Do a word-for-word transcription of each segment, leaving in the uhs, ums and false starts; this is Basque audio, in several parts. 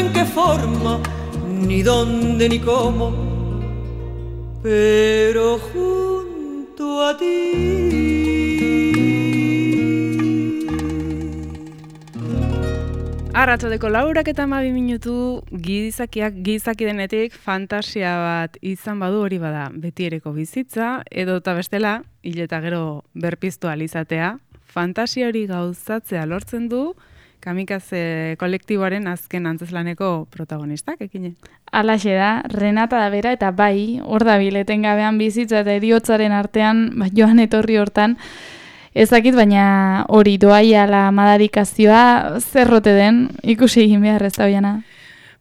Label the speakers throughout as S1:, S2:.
S1: en qué forma, ni dónde ni cómo, pero junto a ti.
S2: Arratsaldeko laurak eta hamabi minutu gizakiak gizaki denetik fantasia bat izan badu hori bada betiereko bizitza, edo eta bestela, hil eta gero berpiztu ahal izatea, fantasia hori gauzatzea lortzen du Kamikaze kolektiboaren azken antzezlaneko protagonistak, ekine.
S3: Alaxe da, Renata da bera, eta bai, hor da bileten gabean bizitza eta heriotzaren artean, ba, joan etorri hortan, ezakit, baina hori doaia la madarikazioa zerrote den, ikusi egin behar ez da hoiana.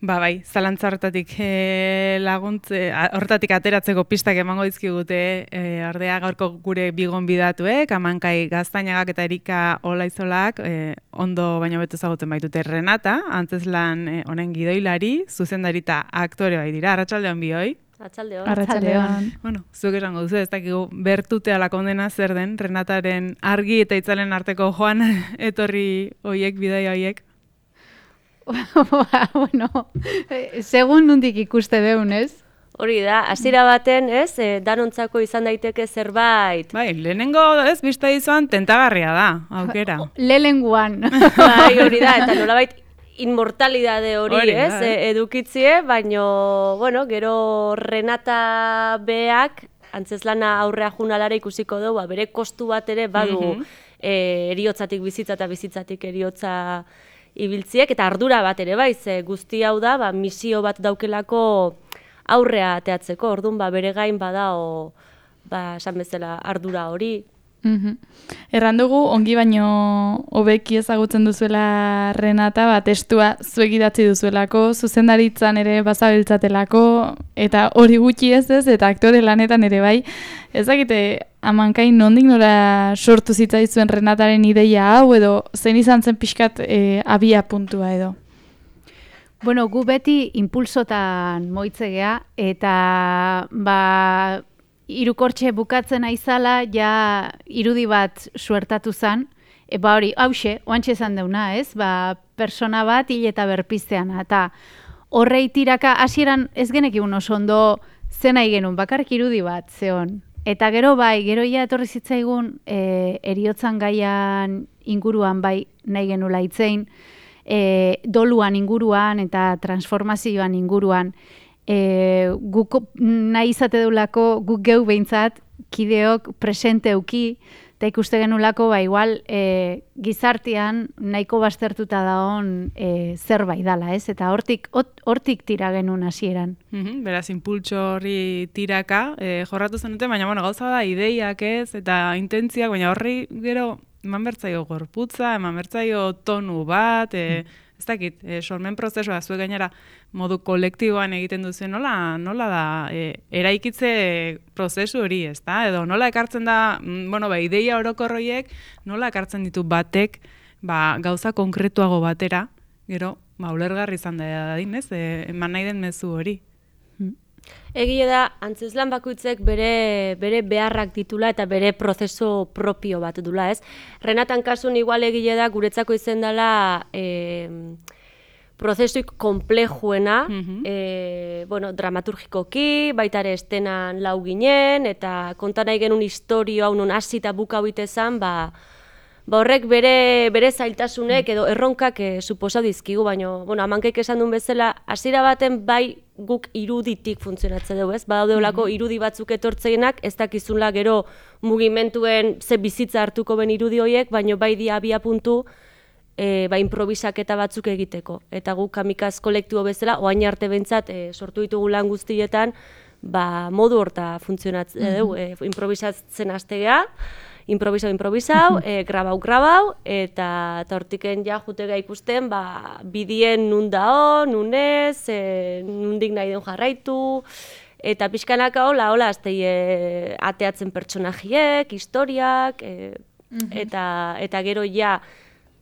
S2: Ba bai, zalantza hortatik e, laguntze, hortatik ateratzeko pistak emango dizkigute e, ordea gaurko gure bigon bidatuek, Amankai Gaztainagak eta Erika Olaizolak e, ondo baino beto ezagutzen baitute. Renata, antzeslan e, honen gidoilari, zuzendari eta aktore bai dira, arratsaldeon bioi.
S4: Arratsaldeon.
S3: Arratsaldeon.
S2: Bueno, zuek esango duzu, ez dakigu bertutea la kondena zer den, Renataren argi eta itzalen arteko joan etorri hoiek, bidaia hoiek.
S5: Bueno, segun nundik ikuste deun, ez?
S4: Hori da, hasiera baten, ez, e, danontzako izan daiteke zerbait.
S2: Bai, lehenengo, ez, bista izan tentagarria da, aukera.
S5: Lehenengoan.
S4: Bai, hori da, eta nolabait inmortalidade hori,
S2: Hori da,
S4: ez, e, edukitzie, baino, bueno, gero Renata beak, antzeslana aurrea junalara ikusiko dugu, bere kostu bat ere badu
S2: Mhm.
S4: e, eriotzatik bizitza eta bizitzatik eriotza ibiltziek, eta ardura bat ere bai, ze guzti hau da, ba, misio bat daukelako aurrea ateatzeko, orduan ba, bere gain badao, ba, esan bezala ardura hori.
S3: Mhm. Erran dugu, ongi baino hobeki ezagutzen duzuela Renata, ba, testua zuek idatzi duzuelako, zuzendaritzan ere bazabiltzatelako, eta hori gutxi ez ez, eta aktore lanetan ere bai. Ezakite, Amankai nondik nora sortu zitzaizuen Renataren ideia hau, edo zein izan zen pixkat e, abia puntua edo?
S5: Bueno, gu beti impulsotan moitzegea, eta ba, irukortxe bukatzen aizala, ja irudi bat suertatu zan, e, ba hori, hause, oantxe esan deuna, ez? Ba, persona bat hil eta berpiztean, eta horrei tiraka, hasieran ez genekigun oso ondo zen nahi genuen, bakarrik irudi bat, zeon. Eta gero bai, gero ja etorri zitzaigun e, eriotzan gaian inguruan bai nahi genula hitzein, e, doluan inguruan eta transformazioan inguruan, e, guk nahi izate deulako guk geu behintzat kideok presente euki, eta ikuste genulako ba igual e, gizartean nahiko baztertuta daon e, zerbait dala, ez? Eta hortik hortik tira genuen hasieran.
S2: Mhm, beraz, impultso horri tiraka e, jorratu zenuten, baina bueno, gauza da ideiak ez, eta intentziak, baina horri gero eman bertzaio gorputza, eman bertzaio tonu bat, e, ez dakit, e, sormen prozesua, zuek gainera modu kolektiboan egiten duzu, nola, nola da e, eraikitze prozesu hori, ez da? Edo nola ekartzen da, mm, bueno, ba, ideia orokorroiek, nola ekartzen ditu batek, ba, gauza konkretuago batera, gero, ba, ulergarri izan da dadin, ez? E, eman nahi den mezu hori.
S4: Egia da, antzeslan bakoitzek bere, bere beharrak ditula eta bere prozesu propio bat dula, ez? Renatan kasun igual egia da, guretzako izen dela e, prozesuik komplejuena,
S2: Mhm.
S4: e, bueno, dramaturgikoki, baita ere estenan lau ginen, eta konta nahi genuen historio hau non hasi eta buka hoite zan, ba, ba horrek bere, bere zailtasunek edo erronkak e, suposa dizkigu, baina, bueno, Amankaik esan duen bezala, hasiera baten bai guk iruditik funtzionatzen dugu, ez? Badaudeolako irudi batzuk etortzeinak, ez dakizunla gero mugimenduen ze bizitza hartuko ben irudi horiek, baina bai dia abia puntu e, ba, improvisaketa batzuk egiteko. Eta guk Kamikaz kolektibo bezala, oain arte behintzat e, sortu ditugu lan guztietan, ba, modu horta funtzionatzen dugu, e, improvisatzen hastegea, improvisau, improvisau, e, grabau, grabau, eta hortiken ja jutega ikusten, ba, bidien nun dao, nun ez, e, nundik nahi den jarraitu, eta pixkanaka hola, hola, aztei e, ateatzen pertsonajiek, historiak, e, eta, eta gero ja,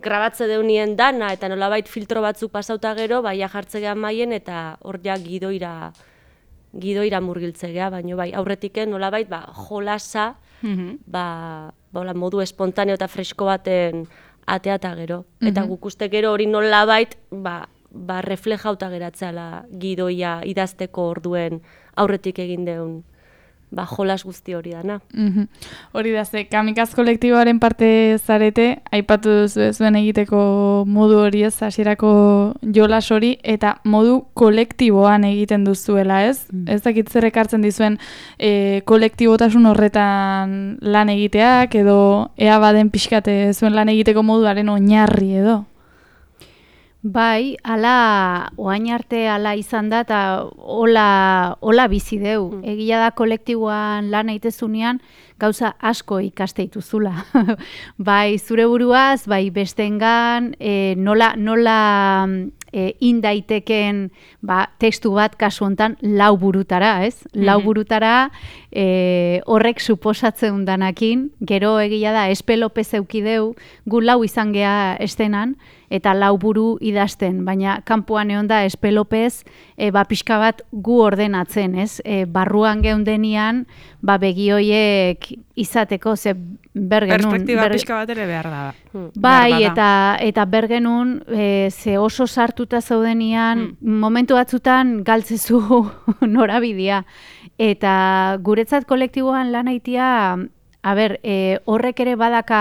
S4: grabatze deunien dana, eta nolabait filtro batzuk pasauta gero, ba, ja jartzegean maien, eta hor ja gidoira, gidoira murgiltzegea, baino bai, aurretiken nolabait, ba, jolasa,
S2: Mhm.
S4: ba, ba, modu espontaneo eta fresko baten ateata gero. Eta guk uste gero hori nolabait, ba, ba, reflejauta geratzala gidoia idazteko orduen aurretik egin deun ba, jolas guzti hori dana.
S3: Mhm. Hori da, ze kamikaz kolektiboaren parte zarete, aipatu duzu zuen egiteko modu hori ez, hasierako jolas hori, eta modu kolektiboan egiten duzuela, ez? Mm. Ez dakit zer ekartzen dizuen e, kolektibotasun horretan lan egiteak, edo ea baden pixkate zuen lan egiteko moduaren oinarri edo?
S5: Bai, ala, oain arte ala izan da, eta hola, hola bizi deu. Mm. Egia da kolektiboan lan egitezunean gauza asko ikaste dituzula. Bai, zure buruaz, bai bestengan, e, nola, nola e, indaiteken ba, testu bat kasu hontan lau burutara, ez? Mm-hmm. Lau burutara e, horrek suposatzen danakin, gero egia da, Espe Lopez eukideu, gu lau izan gea estenan, eta lau buru idazten, baina kanpoan egon da Espe Lopez e, ba, pixka bat gu ordenatzen, ez? E, barruan geundenian, ba, begioiek izateko, ze bergenun...
S2: Perspektiba
S5: ber...
S2: pixka bat ere behar da.
S5: Bai,
S2: behar
S5: eta, eta bergenun, e, ze oso sartuta zaudenian, hmm. momentu batzutan galtzezu norabidea. Eta guretzat kolektiboan lan aitia, a ber, e, horrek ere badaka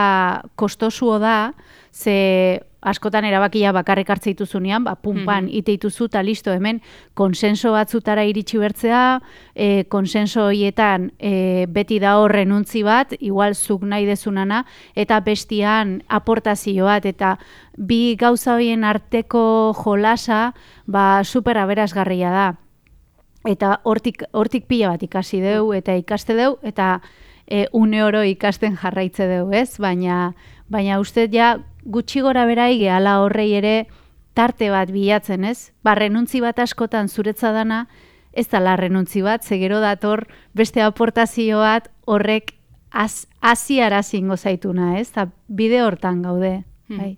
S5: kostosuo da, ze askotan erabakia bakarrik hartze dituzunean, ba, pumpan ite dituzu eta listo, hemen konsenso batzutara iritsi bertzea, e, konsenso horietan e, beti da hor renuntzi bat, igual zuk nahi dezunana, eta bestian aportazio bat, eta bi gauza horien arteko jolasa, ba, super aberasgarria da. Eta hortik, hortik pila bat ikasi deu, eta ikaste deu, eta e, une oro ikasten jarraitze deu, ez? Baina, baina uste ja gutxi gora berai gehala horrei ere tarte bat bilatzen, ez? Ba, renuntzi bat askotan zuretza dana, ez da la renuntzi bat, zegero dator beste aportazio bat horrek az, aziarazingo zaituna, ez? Ta bide hortan gaude. Hmm. Bai.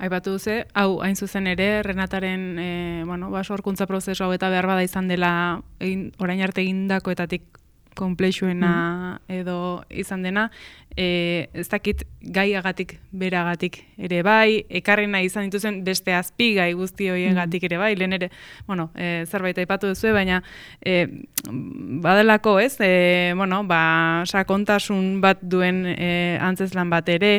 S2: Aipatu duze, hau hain zuzen ere, Renataren e, bueno, ba, sorkuntza prozesu hau eta behar bada izan dela egin, orain arte egindakoetatik konplexuena mm. edo izan dena, e, ez dakit gaiagatik beragatik ere bai, ekarri nahi izan dituzen beste azpigai guzti horiengatik ere bai, lehen ere, bueno, e, zerbait aipatu duzu, baina e, badelako ez, e, bueno, ba, sakontasun bat duen e, antzeslan bat ere,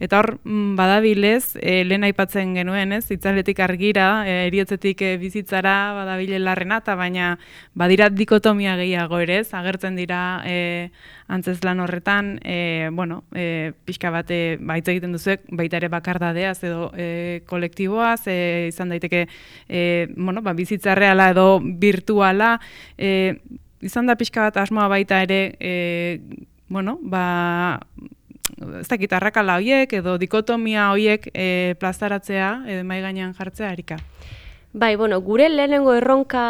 S2: eta hor badabilez, e, lehen aipatzen genuen ez, itzaletik argira, e, eriotzetik e, bizitzara badabile Renata, baina badira dikotomia gehiago ere ez, agertzen dira e, antzeslan horretan, e, bueno, e, pixka bat e, baitz egiten duzuek, baita ere bakardadeaz edo e, kolektiboaz, e, izan daiteke e, bueno, ba, bizitza reala edo virtuala, e, izan da pixka bat asmoa baita ere, e, bueno, ba, ez dakit arrakala horiek edo dikotomia horiek e, plazaratzea, edo mai gainean jartzea, Erika.
S4: Bai, bueno, gure lehenengo erronka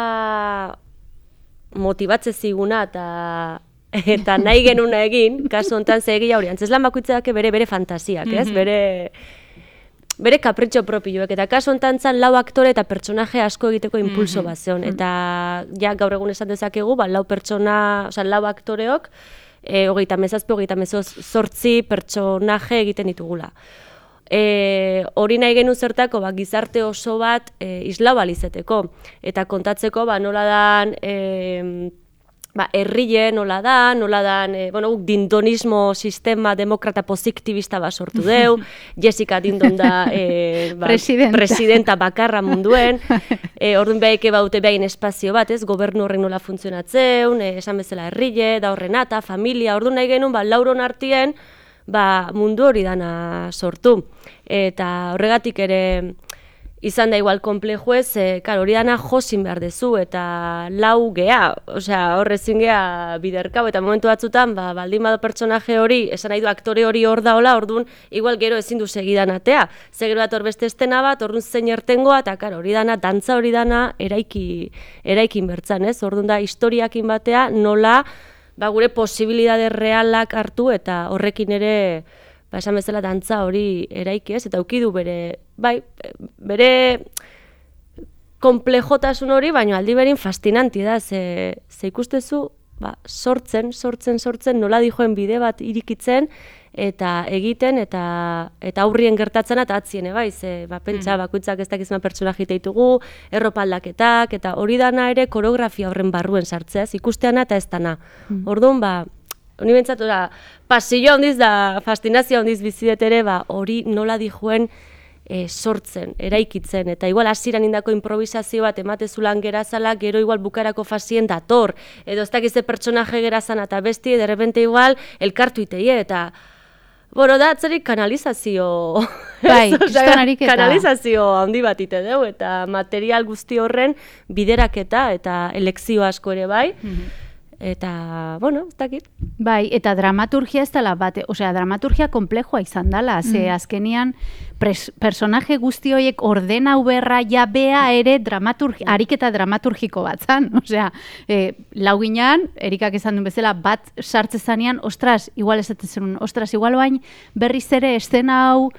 S4: motibatze ziguna eta eta nahi genuna egin, kasu hontan ze egia hori, antzeslan bakoitzak bere bere fantasiak, ez? Mm-hmm. Bere bere kapritxo propioek, eta kasu hontan zan lau aktore eta pertsonaje asko egiteko impulso mm-hmm. bat zeon, eta ja gaur egun esan dezakegu, ba, lau pertsona, osea, lau aktoreok, e, hogeita mezazpi, hogeita mezortzi pertsonaje egiten ditugula. E, hori nahi genu zertako, ba, gizarte oso bat e, islau alizeteko, eta kontatzeko, ba, nola dan, e, ba, herrile nola da, nola dan, e, bueno, dindonismo sistema demokrata posiktibista bat sortu deu, Jessica Dindon da e, ba, presidenta. presidenta bakarra munduen, e, orduan behaike baute behain espazio bat, ez, gobernu horrek nola funtzionatzeun, e, esan bezala herrile, da Renata, familia, orduan nahi genuen, ba, lauron artien, ba, mundu hori dana sortu. Eta horregatik ere izan da igual komplejo ez, e, kar, hori dana josin behar dezu, eta lau gea, osea, horrezin gea biderkau, eta momentu batzutan, ba, baldin bado pertsonaje hori, esan nahi du aktore hori hor daola, orduan, igual gero ezin du segidan atea. Zegero bat hor beste estena bat, orduan zein ertengoa, eta kar, hori dana, dantza hori dana, eraiki, eraikin bertzan, ez? Orduan da, historiakin batea, nola, ba, gure posibilidade realak hartu, eta horrekin ere, ba, esan bezala dantza hori eraiki, ez? Eta ukidu bere, bai, bere komplejotasun hori, baina aldi berin fascinanti da, ze, ze ikustezu ba, sortzen, sortzen, sortzen, nola dijoen bide bat irikitzen, eta egiten, eta eta aurrien gertatzen eta atzien, bai, ze, ba, pentsa, bakoitzak ez dakizma pertsonaji ditugu, erropaldaketak, eta hori dana ere koreografia horren barruen sartzea, ez, ikusteana eta ez dana. Orduan, ba, honi bentsat, pasillo handiz da, fascinazio handiz bizidet ere, ba, hori nola dijoen e, sortzen, eraikitzen, eta igual hasieran indako improvisazio bat ematezulan gerazala, gero igual bukarako fasien dator, edo ez dakize pertsonaje gerazan eta besti, de repente igual elkartu iteie, eta Boro da, atzerik kanalizazio,
S5: bai, kriston ariketa.
S4: Kanalizazio handi bat ite deu, eta material guzti horren bideraketa eta elekzio asko ere bai, eta, bueno, ez dakit.
S5: Bai, eta dramaturgia ez dela bate, osea, dramaturgia komplejoa izan dela, ze azkenian pres, personaje guzti horiek ordenau berra jabea ere dramaturgi, ariketa dramaturgiko bat zan, osea, e, lau ginean, Erikak esan duen bezala, bat sartze zanean, ostras, igual ez zen, ostras, igual bain berriz ere eszena hau,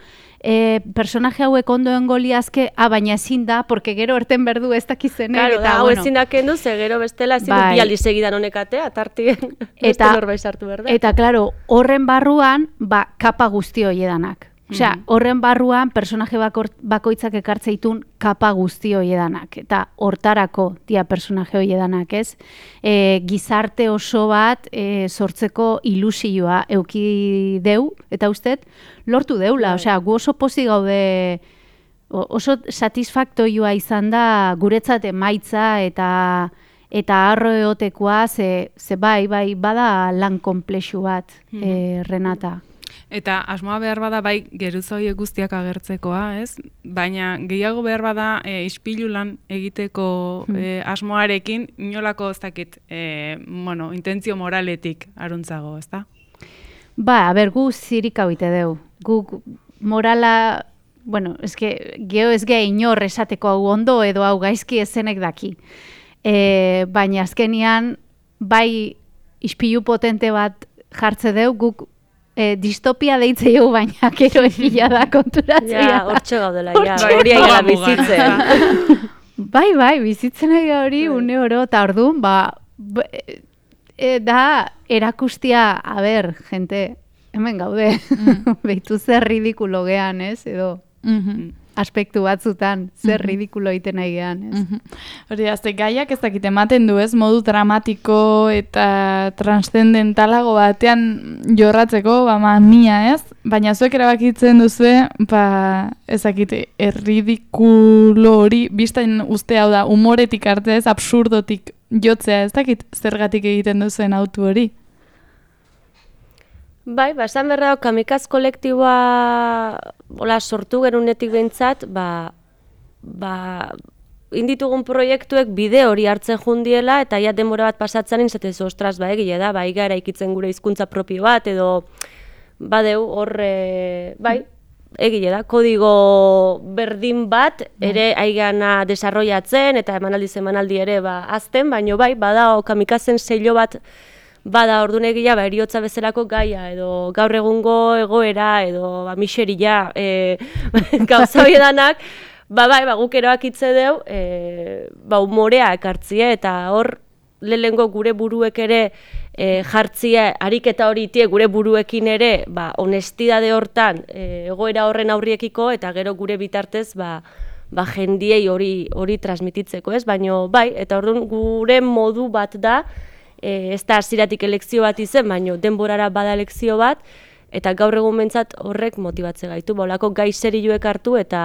S5: E, personaje hauek ondoen goliazke, ah, baina ezin da, porque gero erten berdu ez dakizenek.
S4: Claro,
S5: eta,
S4: hau
S5: bueno,
S4: ezin da kendu, ze gero bestela ezin
S5: bai.
S4: dut bialdi segidan honekatea, tartien beste norbait sartu behar da.
S5: Eta, claro, horren barruan, ba, kapa guzti hoiedanak. Osea, horren barruan personaje bakor, bakoitzak ekartzeitun kapa guzti hoiedanak. Eta hortarako dia personaje hoiedanak, ez? E, gizarte oso bat e, sortzeko ilusioa euki deu, eta ustet, lortu deula. Osea, gu oso pozi gaude, oso satisfaktoioa izan da guretzat emaitza eta eta harro eotekoa, ze, ze bai, bai, bada lan konplexu bat, e, Renata.
S2: Eta asmoa behar bada bai geruza horiek guztiak agertzekoa, ez? Baina gehiago behar bada e, ispilu lan egiteko e, asmoarekin inolako ez dakit, e, bueno, intentzio moraletik aruntzago, ez da?
S5: Ba, a ber, gu zirik hau ite deu. Gu morala, bueno, eske, geho ez geha inor esateko hau ondo edo hau gaizki ezenek daki. E, baina azkenian, bai ispilu potente bat jartze deu, guk E, distopia deitze jo, baina gero egia da konturatzea.
S4: Ja, hortxe gaudela, ja, hori aigela bizitzen.
S5: Bai, bai, bizitzen aigela hori une oro, eta orduan, ba, e, da erakustia, a ber, gente, hemen gaude, mm. behitu zer ridikulo gean, ez, edo, mm-hmm. aspektu batzutan, zer mm-hmm. ridikulo egiten nahi gean, ez.
S3: Mm-hmm. Hori, azte, gaiak ez dakit ematen du, ez, modu dramatiko eta transzendentalago batean jorratzeko, ba, mamia, ez? Baina zuek erabakitzen duzue, ba, ez dakit, erridikulo hori, biztain uste hau da, humoretik arte ez, absurdotik jotzea, ez dakit, zergatik egiten duzuen autu hori?
S4: Bai, ba, esan berra, kamikaz kolektiboa hola, sortu gerunetik behintzat, ba, ba, inditugun proiektuek bide hori hartzen jundiela, eta ja denbora bat pasatzen inzatez, ostras, ba, egile da, ba, igara ikitzen gure hizkuntza propio bat, edo, badeu, horre, bai, egile da, kodigo berdin bat, ere aigana desarrollatzen, eta emanaldi emanaldi ere, ba, azten, baino bai, bada, kamikazen sello bat, bada orduan egia, ba, eriotza bezalako gaia, edo gaur egungo egoera, edo ba, miseria, e, gauza horiedanak, ba, bai, ba, guk eroak hitze deu, e, ba, humorea ekartzie, eta hor, lehengo gure buruek ere e, jartzia, ariketa hori itie gure buruekin ere, ba, honestidade hortan, e, egoera horren aurriekiko, eta gero gure bitartez, ba, ba, jendiei hori hori transmititzeko, ez? Baina, bai, eta orduan gure modu bat da, E, ez da hasieratik elekzio bat izen, baina denborara bada elekzio bat, eta gaur egun bentsat horrek motibatze gaitu, ba, olako gai serioek hartu, eta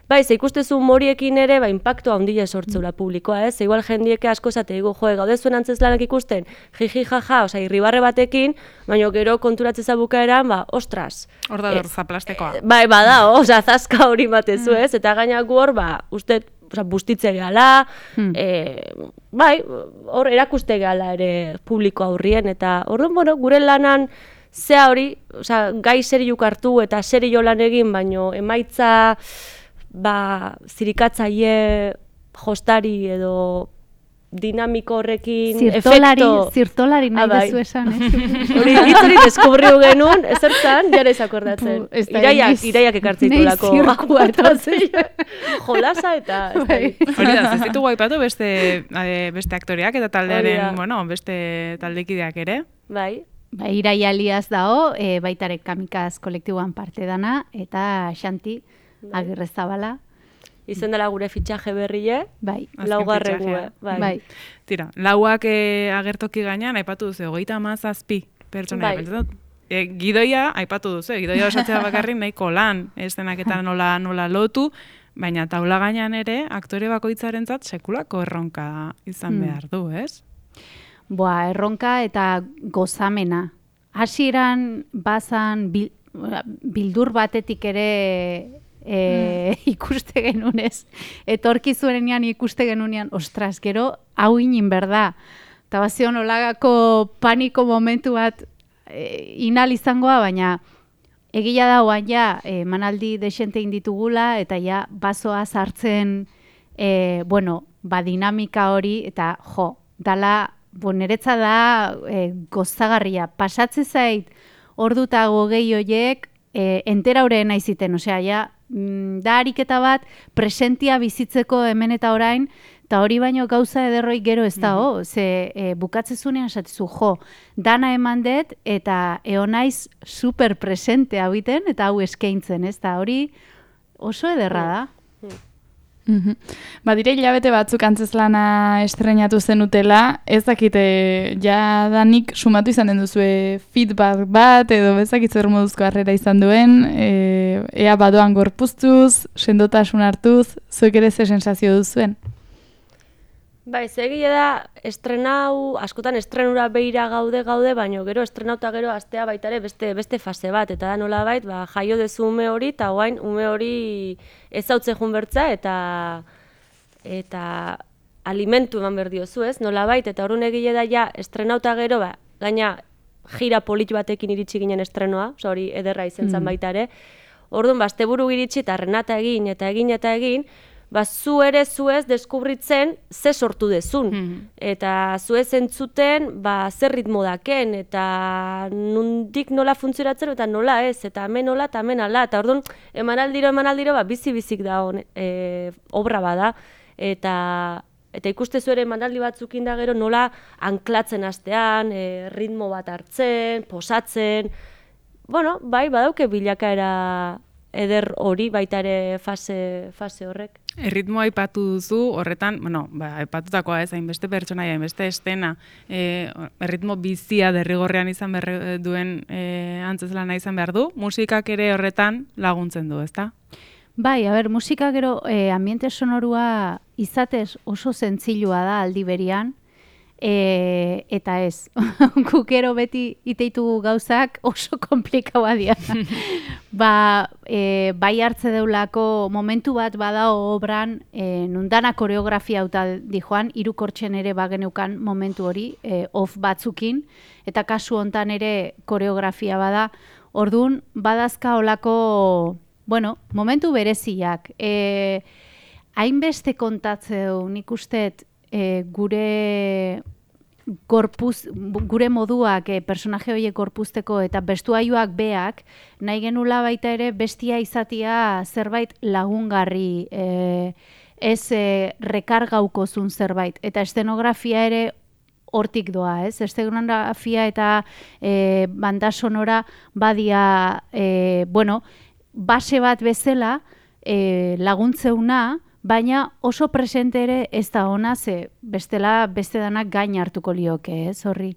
S4: bai, ze ikustezu humoriekin ere, ba, impacto handia sortzeula publikoa, ez? Igual jendieke asko esate digu, jo, gaude zuen antzeslanak ikusten, jiji jaja, oza, irribarre batekin, baina gero konturatzeza bukaeran, ba, ostras.
S2: Hor da dor zaplastekoa.
S4: E, bai, bada, oza, zaska hori batezu, ez? Eta gaina gu hor, ba, uste, oza, bustitze gehala, hmm. e, bai, hor erakuste gehala ere publiko aurrien, eta orduan, bueno, gure lanan zea hori, oza, gai seriuk hartu eta serio lan egin, baino emaitza, ba, zirikatzaile jostari edo dinamiko horrekin
S5: Zirtolari,
S4: efekto...
S5: zirtolari nahi
S4: Ah, bai.
S5: dezu esan, eh?
S4: Hori hitz hori deskubriu genuen, ezertzan, jara izakordatzen.
S5: Bu, ez da
S4: Iraiak,
S5: egiz.
S4: iraiak ekartzitulako.
S5: Nei zirkua eta
S4: Jolasa eta... ez
S5: Bai.
S4: dakit.
S2: Hori da, ez ditugu aipatu beste, eh, beste aktoreak eta
S4: Hori da.
S2: taldearen, bueno, beste taldekideak ere.
S4: Bai,
S5: Ba, Irai Aliaz dao, e, baitare kamikaz kolektiboan parte dana, eta Xanti Agirrezabala,
S4: izen dela gure fitxaje berrie,
S5: bai,
S2: Azken
S4: laugarrenue.
S2: fitxajea.
S4: Bai.
S5: bai.
S2: Tira, lauak eh, agertoki gainean aipatu duzu, hogeita hamazazpi pertsona.
S4: Bai.
S2: E, gidoia aipatu duzu, gidoia osatzea bakarrik nahiko lan, eszenak eta nola, nola lotu, baina taula gainean ere aktore bakoitzarentzat sekulako erronka izan
S5: Hmm.
S2: behar du, ez?
S5: Boa, erronka eta gozamena. Hasieran bazan bil, bildur batetik ere e, ikuste genunez. Etorkizunean ikuste genunean, ostras, gero hau inin berda. Eta bazion olagako paniko momentu bat e, inal izangoa, baina egia da oan ja, e, manaldi desente inditugula, eta ja, bazoa sartzen, e, bueno, ba, dinamika hori, eta jo, dala, bo, niretza da e, gozagarria. Pasatze zait, orduta gogei hoiek, e, entera horreena iziten, osea, ja, mm, da ariketa bat, presentia bizitzeko hemen eta orain, eta hori baino gauza ederroi gero ez da, ho, ze e, bukatzezunean esatizu, jo, dana eman dut, eta eonaiz super presente hau iten, eta hau eskaintzen, ez da, hori oso ederra da.
S3: Mhm. Ba, dire hilabete batzuk antzezlana estrenatu zenutela, ez dakite, ja danik sumatu izanen duzue feedback bat, edo bezakit zer moduzko harrera izan duen, e, ea badoan gorpuztuz, sendotasun hartuz, zuek ere ze sensazio duzuen?
S4: Bai, egia da, estrenau, askotan estrenura beira gaude gaude, baino gero estrenauta gero astea baita ere beste, beste fase bat, eta da nolabait, ba, jaio dezu ume hori, eta guain ume hori ezautze jun bertza, eta eta alimentu eman behar diozu, ez, nolabait, eta orduan egile da ja, estrenauta gero, ba, gaina jira polit batekin iritsi ginen estrenoa, oza, hori ederra izen zen baita ere, orduan, ba, asteburu iritsi, eta Renata egin, eta egin, eta egin, ba, zu ere zuez deskubritzen ze sortu dezun. Eta zuez entzuten, ba, zer ritmo daken, eta nundik nola funtzionatzen, eta nola ez, eta hemen nola, eta hemen ala. Eta orduan, emanaldiro, emanaldiro, ba, bizi-bizik da hon, e, obra bada. Eta, eta ikustezu ere emanaldi batzukin da gero nola anklatzen hastean, e, ritmo bat hartzen, posatzen. Bueno, bai, badauke bilakaera eder hori baita ere fase, fase horrek.
S2: Erritmoa aipatu duzu, horretan, bueno, ba, aipatutakoa ez, hainbeste pertsonaia, hainbeste estena, e, erritmo bizia derrigorrean izan behar duen e, antzezlana izan behar du, musikak ere horretan laguntzen du, ezta?
S5: Bai, a ber, musika gero e, ambiente sonorua izatez oso zentzilua da aldi berian, e, eta ez, gukero beti iteitu gauzak oso komplikaua dira. Ba, e, bai hartze deulako momentu bat badao obran, e, nundana koreografia hauta dijoan, hirukortzen ere bageneukan momentu hori, e, off batzukin, eta kasu hontan ere koreografia bada, ordun badazka olako, bueno, momentu bereziak. E, hainbeste kontatzeu, nik usteet, e, gure gorpuz, gure moduak e, personaje horiek gorpuzteko eta bestuaioak beak, nahi genula baita ere bestia izatia zerbait lagungarri, e, ez e, rekargaukozun zerbait. Eta estenografia ere hortik doa, ez? Estenografia eta e, banda sonora badia, e, bueno, base bat bezala e, laguntzeuna, baina oso presente ere ez da ona, ze bestela beste danak gain hartuko lioke, ez, horri.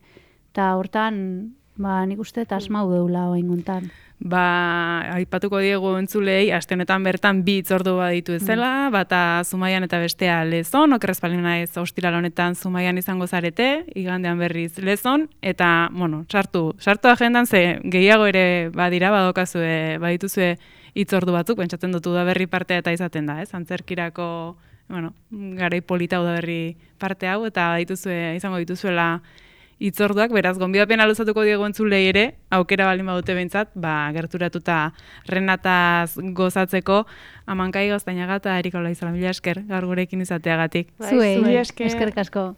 S5: Eta hortan, ba, nik uste eta asmau deula oinguntan.
S2: Ba, aipatuko diegu entzulei, aste honetan bertan bi hitzordu baditu ezela, bata Zumaian eta bestea Lezon, okerrez palin naiz ostiral honetan Zumaian izango zarete, igandean berriz Lezon, eta, bueno, sartu, sartu agendan, ze gehiago ere badira, badokazue, badituzue hitzordu batzuk, pentsatzen dut udaberri partea eta izaten da, ez? Antzerkirako, bueno, garai polita udaberri parte hau, eta dituzue, izango dituzuela itzorduak, beraz, gonbidapena luzatuko diegu entzulei ere, aukera balin badute behintzat, ba, gerturatuta Renataz gozatzeko, Amankai Gaztainaga eta Erika Olaizola, mila esker, gaur gurekin izateagatik.
S4: Bai,
S5: Zuei,
S3: zuei esker.
S5: eskerrik asko.